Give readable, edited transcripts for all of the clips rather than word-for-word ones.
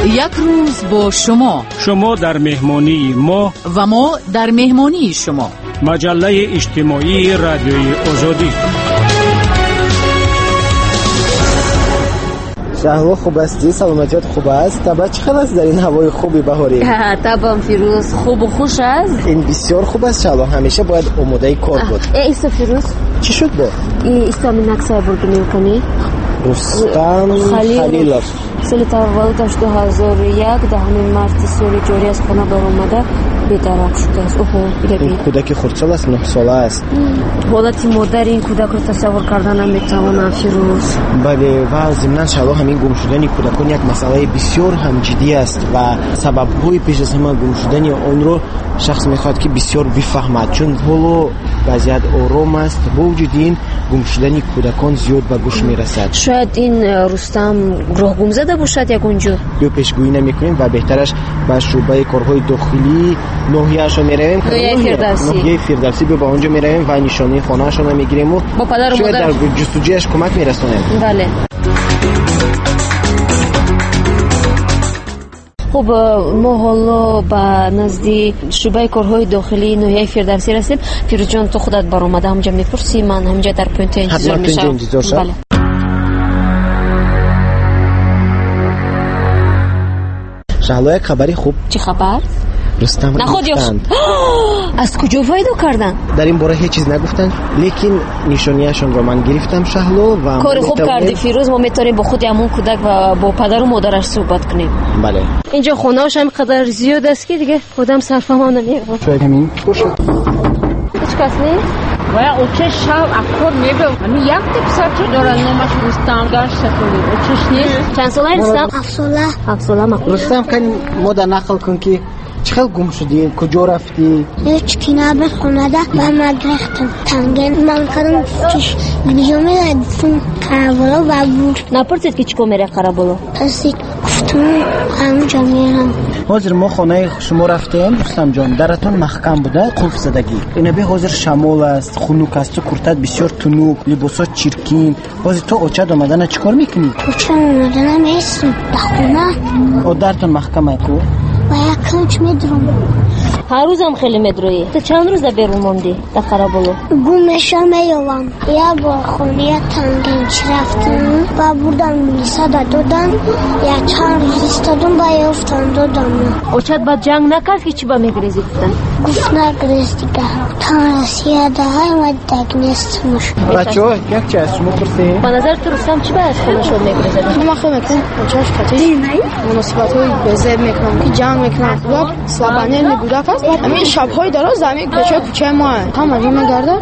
Як рӯз бо шумо. Шумо дар меҳмонии мо ва мо дар меҳмонии шумо. Маҷаллаи иҷтимоии Радиои Озодӣ. Шаҳло, хуб ҳастӣ? Саломатият хуб аст? Табъ чӣ хел аст дар ин ҳавои хуби баҳорӣ? Табъам, Фирӯз, хубу хуш аст. Ин бисёр хуб аст, Шаҳло. Ҳамеша бояд омодаи кор буд. Исо, Фирӯз. Чӣ шуд бо? Исо минаксая бурду мекунӣ. Рустам Халилов. Соли таваллудаш 2001, 10 марти соли ҷорӣ аз хона баромада бедарак шудааст. Оҳо, ин кӯдаки хурдсол аст, 9 сола аст. Ҳолати модари ин кӯдакро тасаввур карда наметавонам, Фирӯз. Бале, ва зимнан, Шаҳло, ҳамин гум шудани кӯдакон як масъалаи бисёр ҳам ҷиддӣ аст ва сабабҳои пеш аз ҳама гум шудани онро шахс мехоҳад, ки бисёр бифаҳмад, чун ҳоло вазъият ором аст. Бо вуҷуди ин гум шудани кӯдакон зиёд ба гӯш мерасад. Шояд ин Рустам роҳ гум зада бошад ягон ҷо. Ё пешгӯӣ намекунем ва беҳтараш ба шӯъбаи корҳои дохилии ноҳияашон меравем. Ноҳияи Фирдавсӣ. Ба он ҷо меравем ва нишонаи хонаашонро мегирем ва шояд дар ҷустуҷӯяш кӯмак мерасонем. Бале. Хуб, мо ҳоло ба назди шӯъбаи корҳои дохилии ноҳияи Фирдавсӣ расидем. Фирӯзҷон, ту худат баромада ҳамҷа мепурсӣ, ман ҳамҷа дар пункт интизор мешавам. Бале. Шаҳло, як хабари хуб. Чӣ хабар? Рустам ёфтанд. Аз куҷо пайдо карданд? Дар ин бора ҳеҷ чиз нагуфтанд, лекин нишонияшонро ман гирифтам, Шаҳло, ва кори хуб кардӣ, Фирӯз. Мо метавонем бо худи ҳамон кӯдак ва бо падару модараш суҳбат кунем. Бале. Инҷо хонааш ҳам қадар зиёд аст, ки дигар одам сарфаҳм намеёбад. Шояд ҳамин бошад. Ҳеҷ кас нест? Вая оча шав акор мебел. Ами якта писарча дорад, номаш Рустам, гашт сафоли. Очаш нест. Чанд сола Рустам? 7 сола. 7 сола. Рустам, кани модар нақл кун, ки чӣ хел гум шудӣ, куҷо рафтӣ? Ҳеҷ ки набуд хонада, ба ман гирифтам. Танген ман кардам, чиш гиҷо мерадифтам Қараболо ва бур. Напурсид, ки чӣ кор меравӣ Қараболо? Пурсид, гуфтам ҳамҷо мерам. Ҳозир мо хонаи шумо рафтем, Рустамҷон, даратон маҳкам буда, қулф задагӣ. Инаби ҳозир шамол аст, хунук аст, ту куртат бисёр тунук, либосот чиркин. Ҳозир то очат омадана чӣ кор мекунӣ? Очам омадана меистам дар хона. О, дартон маҳкам ку? Ва як кунҷ медурам. Ҳар рӯзам хеле медурӣ. Ту чанд рӯз дар берун мондӣ дар Қараболо? Гум мешавам, меёвам. Як бор хонаи тангинчи рафтам ва бурдам милисада додам. Як чанд рӯз истодам ва ёфтам додам. Очат баъд ҷанг накард, ки чӣ ба мегрезӣ гуфтан? Гуфт нагрез дигар. Тан Россияда ҳама даг нестмуш. Бачаҳо, як чи аз шумо пурсем? Ба назари ту Рустам чӣ ба аз хонашон мегрезад? Ман хел мекунам, очаш қатъи муносибатҳои безеб мекунам, ки ҷанг мекунам. Слабонервный кӯдак аст. Ҳамин шабҳои дароз дар ҳамин кӯчаи кӯчаи мо ҳама ҷо мегардад.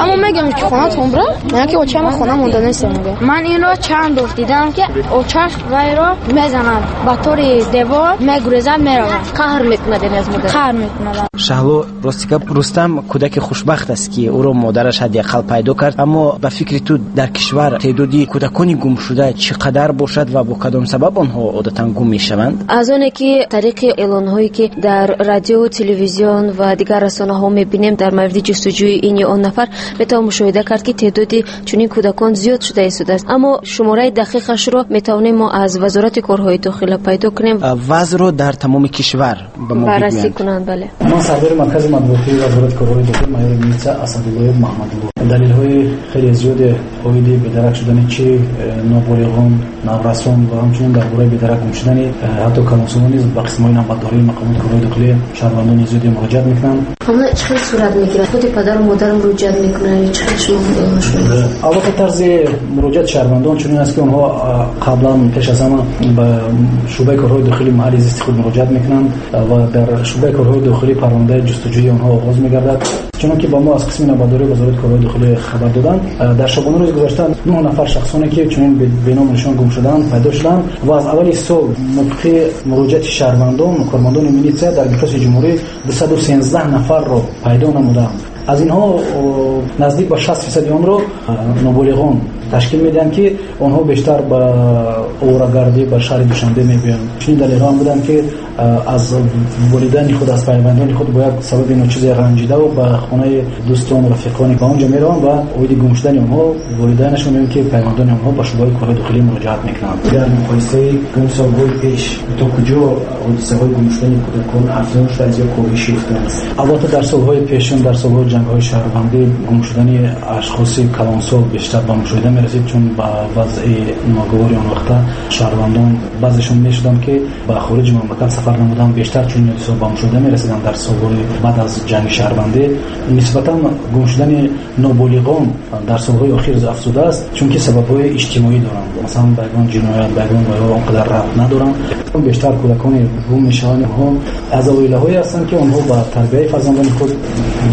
Аммо мегӯям, ки хонатон бира, мегӯям, ки очаи ман хона монда нест. Ман инро чанд бор дидам, ки очаш вайро мезанад, ба тори девор мегурезад, меравад. Қаҳр мекунад, яъне аз модар. Қаҳр мекунад. Шаҳло, рости гап, Рустам кӯдаки хушбахт аст, ки ӯро модараш ҳадди ақал пайдо кард. Аммо ба фикри ту дар кишвар теъдоди кӯдакони гумшуда чӣ қадар бошад ва бо кадом сабаб онҳо одатан гум мешаванд? Аз оне ки тариқи эълонҳое, ки дар радио, телевизион ва дигар расонаҳо мебинем дар мавриди ҷустуҷӯи ин ё он нафар, метавон мушоҳида кард, ки теъдоди чунин кӯдакон зиёд шуда истодааст. Аммо шумораи дақиқашро метавонем мо аз Вазорати корҳои дохила пайдо кунем. Вазъро дар тамоми кишвар ба мо баррасӣ кунанд. Бале. Ман сардори маркази матбуотии Вазорати корҳои дохил майори милиса Асадуллоев Маҳмадулло. Далелҳои хеле зиёде оиди бедарак шудани чи ноболиғон, наврасон ва ҳамчунин дар бораи бедарак гум шудани ҳатто калонсолон низ ба қисмҳои навбатдории мақомоти корҳои дохилӣ шаҳрвандони зиёде муроҷиат мекунанд. Ҳама чӣ хел сурат мегирад? Худи падару модар муроҷиат мекунанд ё чӣ хел шумо шумо? Албатта, тарзи муроҷиати шаҳрвандон чунин аст, ки онҳо қаблан пеш аз ҳама ба шӯъбаи корҳои дохилии маҳалли зисти худ муроҷиат мекунанд ва дар шӯъбаи корҳои дохилӣ парвандаи ҷустуҷӯи онҳо оғоз мегардад. Чунонки ба мо аз қисми навбатдории Вазорати корҳои дохилӣ хабар доданд, дар шабонарӯзи гузашта 9 нафар шахсоне, ки чунин беному нишон гум шуданд, пайдо шуданд ва аз аввали сол мувофиқи муроҷиати шаҳрвандон, кормандони милитсия дар миқёси ҷумҳурӣ 213 нафарро пайдо намуданд. Аз инҳо наздик ба 60% онро ноболиғон ташкил медиҳанд, ки онҳо бештар ба оварагардӣ ба шаҳри Душанбе мебиёянд. Чунин далелҳо ҳам буданд, ки аз волидайни худ, аз пайвандони худ бо як сабаби ночизе ранҷидаву ба хонаи дӯстон, рафиқони ба онҷо мераванд ва оиди гум шудани онҳо волидайнашон ё ки пайвандони онҳо ба шӯъбаи корҳои дохилӣ муроҷиат мекунанд. Дар муқоисаи солҳои пеш то куҷо ҳодисаҳои гум шудани кӯдакон афзун шудааст ё коҳиш ёфтааст? Албатта, дар солҳои пешин, дар солҳои ҷангҳои шаҳрвандӣ, гум шудани ашхоси калонсол бештар ба мушоҳида мерасид, чун ба вазъи ногувори он вақта шаҳрвандон баъзешон мешуданд, ки ба хориҷи мамлакат сафар намуданд. Бештар чунин ҳодисаҳо ба мушоҳида мерасиданд дар солҳои баъд аз ҷанги шаҳрвандӣ. Нисбатан гум шудани ноболиғон дар солҳои охир афзудааст, чунки сабабҳои иҷтимоӣ доранд. Масалан, ба ягон ҷиноят, ба ягон вайҳо он қадар рабт надоранд. Бештар кӯдаконе гум мешаванд, онҳо аз оилаҳое ҳастанд, ки онҳо ба тарбияи фарзандони худ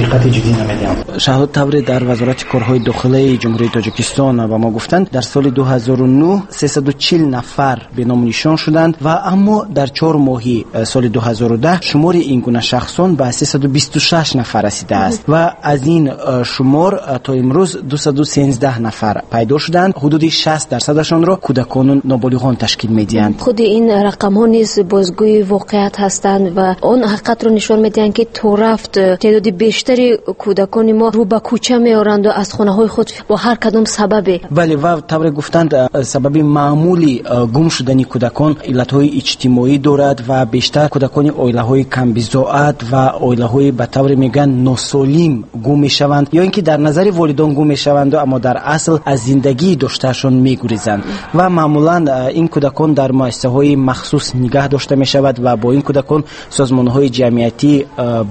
диққати ҷиддӣ намедиҳанд. Шаҳло, тавре дар Вазорати корҳои дохилаи Ҷумҳурии Тоҷикистон ба мо гуфтанд, дар соли 2009 340 нафар беному нишон шуданд ва аммо дар 4 моҳи соли 2010 шумори ин гуна шахсон ба 326 нафар расидааст ва аз ин шумор то имрӯз 213 нафар пайдо шуданд. Ҳудуди 60 дарсадашонро кӯдакону ноболиғон ташкил медиҳанд. Худи ин рақамҳо низ бозгӯи воқеият ҳастанд ва он ҳақиқатро нишон медиҳанд, ки то рафт теъдоди бештари кӯдакони мо рӯ ба кӯча меоранду аз хонаҳои худ бо ҳар кадом сабабе. Бале, ва тавре гуфтанд, сабаби маъмули гум шудани кӯдакон иллатҳои иҷтимоӣ дорад ва бештар кӯдакони оилаҳои камбизоат ва оилаҳои ба тавре мегӯянд носолим гум мешаванд ё ин ки дар назари волидон гум мешаванду, аммо дар асл аз зиндагии доштаашон мегурезанд ва маъмулан ин кӯдакон дар муассисаҳои махсус нигаҳ дошта мешавад ва бо ин кӯдакон созмонҳои ҷамъиятӣ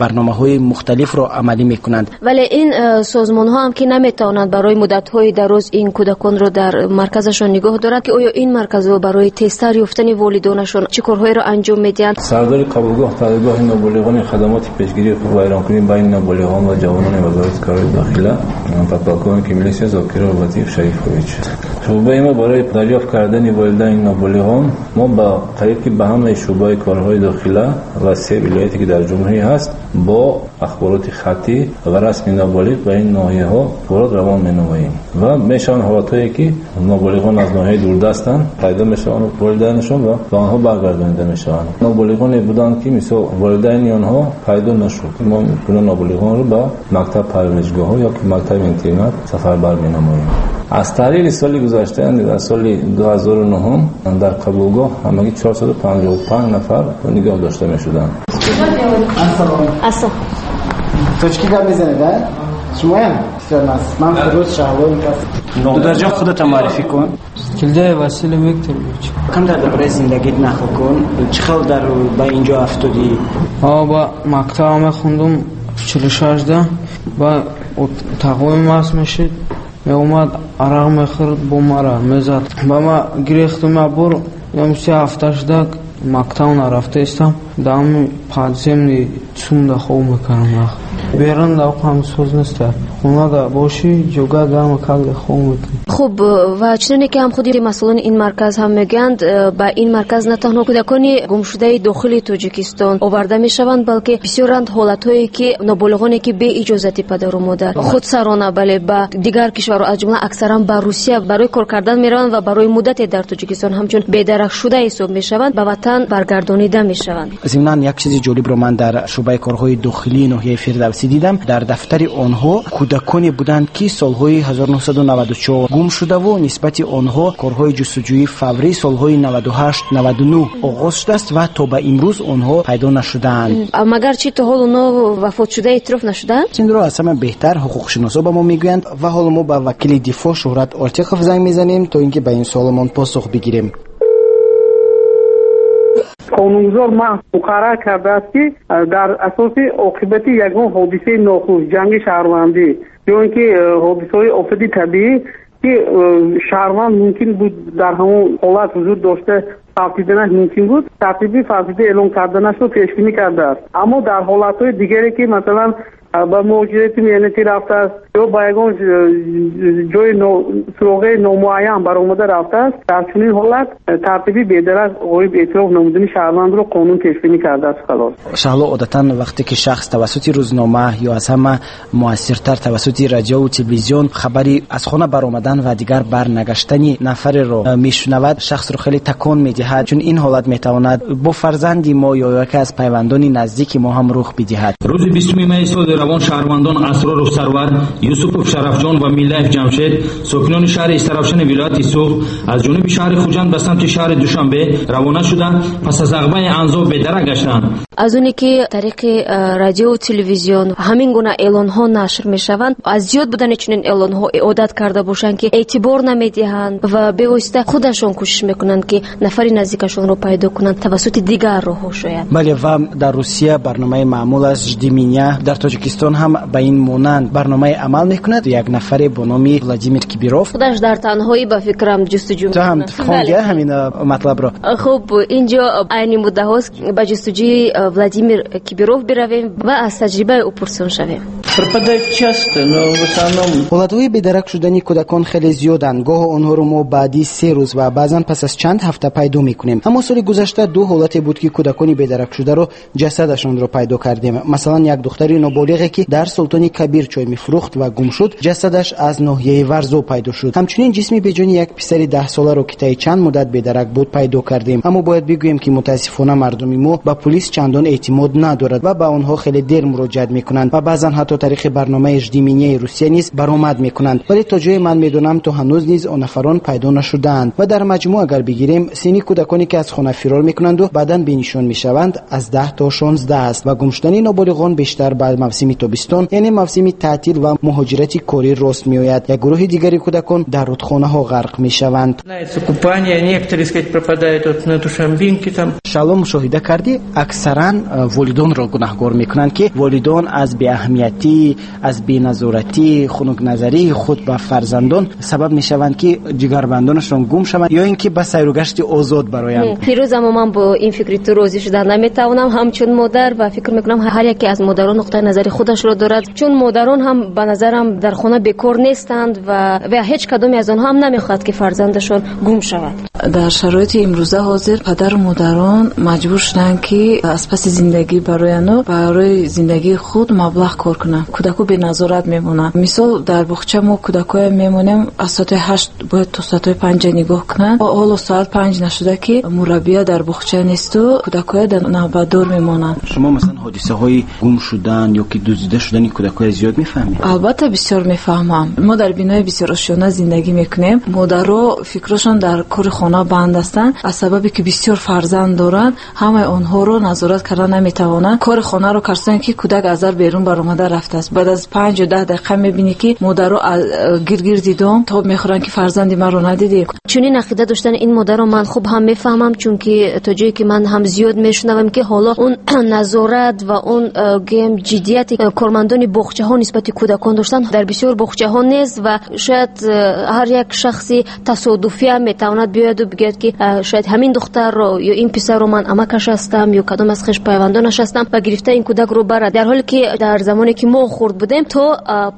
барномаҳои мухталифро амалӣ мекунанд. Вале ин созмонҳо ҳам ки наметавонанд барои муддатҳои дароз ин кӯдаконро дар марказашон нигоҳ доранд, ки оё ин марказҳо барои тезтар ёфтани волидонашон чӣ корҳоеро анҷом медиҳанд? Сардори қабулгоҳ таълимгоҳи ноболиғони хадамоти пешгирии ҳуқуқвайронкунӣ байни ноболиғон ва ҷавонони Вазорати корҳои дохила подполковники милисия Зокиров Латиф Шарифович. Шӯъбаи мо барои дарёфт кардани волидайни ноболиғон мо ба қариб ки ба ҳамаи шӯъбаи корҳои дохила ва се вилояте ки дар ҷумҳурӣ ҳаст бо ахбороти хаттӣ ва расми ноболиғ ба ин ноҳияҳо ахборот равон менамоем ва мешаванд ҳолатҳое ки ноболиғон аз ноҳияи дурдастанд, пайдо мешаванд волидайнашон ва ба онҳо баргардонида мешаванд. Ноболиғоне буданд, ки мисол волидайни онҳо пайдо нашуд. Мо гуна ноболиғонро ба мактаб парваришгоҳҳо ё ки мактаби интернат сафарбар менамоем. Аз таҳлили соли гузашта, яъне дар соли 2009, дар қабулгоҳ ҳамагӣ 455 нафар нигоҳ дошта мешуданд. Ассалом. Тоҷикӣ гап мезанед, а? Шумоям? Бисёр нас. Ман Фирӯз Шаҳло кас. Дударҷон, худатро муаррифӣ кун. Килдаев Василий Викторович. Кам дар бораи зиндагит нақл кун. Чӣ хел дар ба инҷо афтодӣ? Ба мактаб мехондум 46-да, ба тағои маст мешид, меомад арақ мехӯрд, бо мара мезад. Ба ма гирехтум як бор, се ҳафта шуда мактаб нарафта истам, дар подземный цумда хоб мекардам. Берун дар ҳам соз неста. Хонада бошӣ, ҷога гарма карда хоб мекунӣ. Хуб, ва чуноне ки ҳам худи масъулони ин марказ ҳам мегӯянд, ба ин марказ на танҳо кӯдакони гумшудаи дохили Тоҷикистон оварда мешаванд, балки бисёранд ҳолатҳое ки ноболиғоне ки бе иҷозати падару модар худсарона, бале, ба дигар кишварҳо, аз ҷумла аксаран ба Русия барои кор кардан мераванд ва барои муддате дар Тоҷикистон ҳамчун бедаракшуда ҳисоб мешаванд, ба ватан баргардонида мешаванд. Зимнан як чизи ҷолибро ман дар шӯъбаи корҳои дохилии ноҳияи Фирдавсӣ дидам. Дар дафтари онҳо кӯдаконе буданд, ки солҳои 1994 гум шудаву нисбати онҳо корҳои ҷустуҷӯии фаврӣ солҳои 98, 99 оғоз шудааст ва то ба имрӯз онҳо пайдо нашудаанд. Магар чӣ то ҳол онҳо вафотшуда эътироф нашудаанд? Инро аз ҳама беҳтар ҳуқуқшиносо ба мо мегӯянд ва ҳоло мо ба вакили дифоъ Шӯҳрат Ортиқов занг мезанем, то ин ки ба ин суолмон посух бигирем. Қонунгузор маҳз муқаррар кардааст, ки дар асоси оқибати ягон ҳодисаи нохуш, ҷанги шаҳрвандӣ ё ин ки ҳодисаҳои офати табиӣ, ки шаҳрванд мумкин буд дар ҳамон ҳолат ҳузур дошта фавтиданаш мумкин буд, тартиби фавтида эълон карданашро пешбинӣ кардааст. Аммо дар ҳолатҳои дигаре ки масалан ба муҳоҷирати меҳнатӣ рафтааст ё ба ягон ҷои суроғаи номуайян баромада рафтааст, дар чунин ҳолат тартиби бедарак ғоиб эътироф намудани шаҳрвандро қонун пешбинӣ кардааст. Халос. Шаҳло, одатан вақте ки шахс тавассути рӯзнома ё аз ҳама муассиртар тавассути радиову телевизион хабари аз хона баромадан ва дигар барнагаштани нафареро мешунавад, шахсро хеле такон медиҳад, чун ин ҳолат метавонад бо фарзанди мо ё яке аз пайвандони наздики мо ҳам рух бидиҳад. Рӯзи 20 майи соли равон шаҳрвандон Асроров Сарвар, Юсупов Шарафҷон ва Миллаев Ҷамшед, сокинони шаҳри Истаравшани вилояти Суғд, аз ҷониби шаҳри Хуҷанд ба самти шаҳри Душанбе равона шуда, пас аз ағбаи Анзоб бедарак гаштанд. Аз оне ки тариқи радиову телевизион ҳамин гуна эълонҳо нашр мешаванд, аз зиёд будани чунин эълонҳо одат карда бошанд, ки эътибор намедиҳанд ва бевосита худашон кӯшиш мекунанд, ки нафари наздикашонро пайдо кунанд тавассути дигар роҳҳо шояд. Бале, ва дар Русия барномаи маъмул аст «Жди меня», дар Тоҷикистон ҳам ба ин монанд барномаи амал мекунад. Як нафаре бо номи Владимир Кибиров худаш дар танҳоӣ ба фикрам ҷустуҷӯ. Ту ҳам хонди ҳамин матлабро? Хуб, инҷо айни муддаҳост ба ҷустуҷӯи Владимир Кибиров биравем ва аз таҷрибаи ӯ пурсон шавем. Пропадают часто, но в основном. Ҳолатҳои бедарак шудани кӯдакон хеле зиёданд. Гоҳо онҳоро мо баъди 3 рӯз ва баъзан пас аз чанд ҳафта пайдо мекунем. Аммо соли гузашта 2 ҳолате буд, ки кӯдакони бедаракшударо ҷасадашонро пайдо кардем. Масалан, як духтари ноболиғе, ки дар Султони Кабир чой мефурӯхт ва гум шуд, ҷасадаш аз ноҳияи Варзоб пайдо шуд. Ҳамчунин ҷисми беҷони як писари 10 соларо, ки таи чанд муддат бедарак буд, пайдо кардем. Аммо бояд бигӯем, ки мутаассифона мардуми мо ба пулис чандон эътимод надорад ва ба онҳо хеле дер муроҷиат мекунанд ва баъзан ҳатто тариқи барномаи «Жди меня»-и Русия низ баромад мекунанд. Вале то ҷое ман медонам, то ҳанӯз низ он нафарон пайдо нашудаанд. Ва дар маҷмӯъ агар бигирем, синни кӯдаконе, ки аз хона фирор мекунанду баъдан бенишон мешаванд, аз 10 то 16 аст ва гумшудани ноболиғон бештар ба мавсими тобистон, яъне мавсими таътил ва муҳоҷирати корӣ рост меояд. Як гурӯҳи дигари кӯдакон дар рудхонаҳо ғарқ мешаванд. Шаҳло, мушоҳида кардӣ, аксаран волидонро гунаҳгор мекунанд, ки волидон аз беаҳамиятӣ, аз беназоратӣ, хунукназарии худ ба фарзандон сабаб мешаванд, ки ҷигарбандонашон гум шаванд ё ин ки ба сайругашти озод бароянд. Фирӯз, аммо ман бо ин фикри ту розӣ шуда наметавонам. Ҳамчун модар ва фикр мекунам, ҳар яке аз модарон нуқтаи назари худашро дорад, чун модарон ҳам ба назарам дар хона бекор нестанд ва ҳеҷ кадоме аз онҳо ҳам намехоҳад, ки фарзандашон гум шавад. Дар шароити имрӯза ҳозир падару модарон маҷбур шуданд, ки аз паси зиндагӣ барояну барои зиндагии худ маблағ кор кунанд. Кӯдаку беназорат мемонанд. Мисол, дар боғча мо кӯдакоя мемонем, аз соати 8 бояд то соати 5 нигоҳ кунанд. Ҳоло соат 5 нашуда, ки мураббия дар боғча несту кӯдакоя дар навбатдор мемонанд. Шумо масалан ҳодисаҳои гум шудан ё ки дуздида шудани кӯдакоя зиёд мефаҳмед? Албатта, бисёр мефаҳмам. Мо дар бинои бисёр ошёна зиндагӣ мекунем. Модаро фикрашон дар кори хона банд ҳастанд. Аз сабабе ки бисёр фарзанд доранд, ҳамаи онҳоро назорат карда наметавонанд. Кори хонаро кардан, ки кӯдак аз дар берун баромада рафтааст. Баъд аз 5 ё 10 дақиқа мебинӣ, ки модаро гиргирди дом тоб мехӯранд, ки фарзанди маро надидӣ. Чунин ақида доштани ин модарро ман хуб ҳам мефаҳмам, чунки то ҷое ки ман ҳам зиёд мешунавам, ки ҳоло он назорат ва он гӯем ҷиддияти кормандони боғчаҳо нисбати кӯдакон доштан дар бисёр боғчаҳо нест ва шояд ҳар як шахси тасодуфиам метавонад биёяду бигӯяд, ки шояд ҳамин духтарро ё ин писарро ман амакаш ҳастам ё кадом аз хешпайвандонаш ҳастам ва гирифта ин кӯдакро барад. Дар ҳоле ки дар замоне ки мо хурд будем, то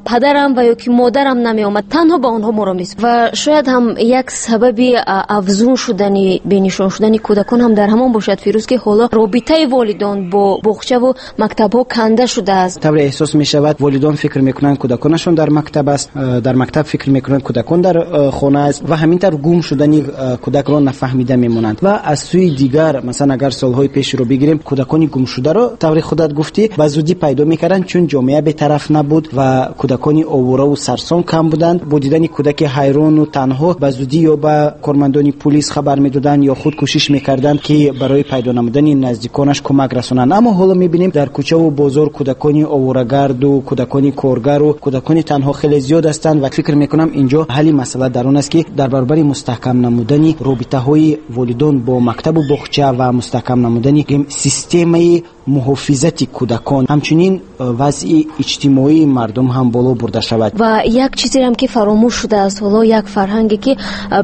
падарам ва ё ки модарам намеомад, танҳо ба онҳо моро мес. Ва шояд ҳам як сабаби афзун шудани бенишон шудани кӯдакон ҳам дар ҳамон бошад, Фирӯз, ки ҳоло робитаи волидон бо боғчаву мактабҳо канда шудааст. Тавре эҳсос мешавад, волидон фикр мекунанд кӯдаконашон дар мактаб аст, дар мактаб фикр мекунанд кӯдакон дар хона аст ва ҳамин тавр гум шудани кӯдакро нафаҳмида мемонанд. Ва аз сӯи дигар, масалан, агар солҳои пешро бигирем, кӯдакони гумшударо, тавре худат гуфтӣ, ба зудӣ пайдо мекарданд, чун ҷомеа бетараф набуд ва кӯдакони овора сарсон кам буданд. Бо дидани кӯдаки ҳайрону танҳо ба зудӣ ё ба кормандони пулис хабар медоданд ё худ кӯшиш мекарданд, ки барои пайдо намудани наздиконаш кӯмак расонанд. Аммо ҳоло мебинем, дар кӯчаву бозор кӯдакони оворагарду, кӯдакони коргару кӯдакони танҳо хеле зиёд ҳастанд ва фикр мекунам, инҷо ҳалли масъала дар он аст, ки дар баробари мустаҳкам намудани робитаҳои волидон бо мактабу боғча ва мустаҳкам намудани системаи Муҳофизати кӯдакон, ҳамчунин вазъи иҷтимоии мардум ҳам боло бурда шавад. Ва як чизеам ки фаромӯш шудааст ҳоло, як фарҳанге ки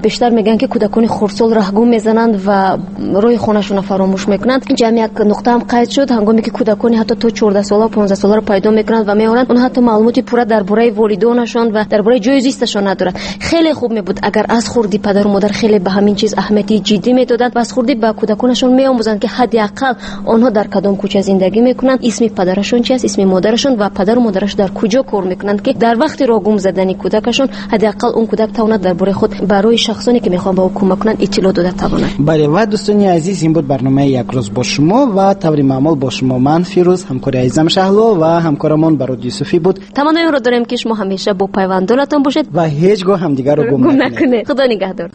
бештар мегӯянд, ки кӯдакони хурдсол раҳгум мезананд ва роҳи хонашонро фаромӯш мекунанд. Инҷа ҳам як нуқта ҳам қайд шуд, ҳангоме ки кӯдакони ҳатто то 14 сола, 15 соларо пайдо мекунанд ва меоранд, онҳо ҳатто маълумоти пурра дар бораи волидонашон ва дар бораи ҷои зисташон надоранд. Хеле хуб мебуд, агар аз хурдӣ падару модар хеле ба ҳамин чиз аҳамияти ҷиддӣ медоданд ва аз хурдӣ ба кӯдаконашон меомӯзанд, ки ҳадди ақал онҳо дар кадом кӯча зиндагӣ мекунанд, исми падарашон чи аст, исми модарашон ва падару модараш дар куҷо кор мекунанд, ки дар вақти роҳ гум задани кӯдакашон ҳадди ақал он кӯдак тавонад дар бораи худ барои шахсоне, ки мехоҳанд ба ӯ кӯмак кунанд, иттилоъ дода тавонад. Бале, ва дӯстони азиз, ин буд барномаи «Як рӯз бо шумо» ва таври маъмул бо шумо ман, Фирӯз, ҳамкори азизам Шаҳло ва ҳамкорамон Барод Юсуфӣ буд. Таманнои онро дорем, ки шумо ҳамеша бо пайвандонатон бошед ва ҳеҷ гоҳ ҳамдигарро гум накунед. Худо нигаҳдор.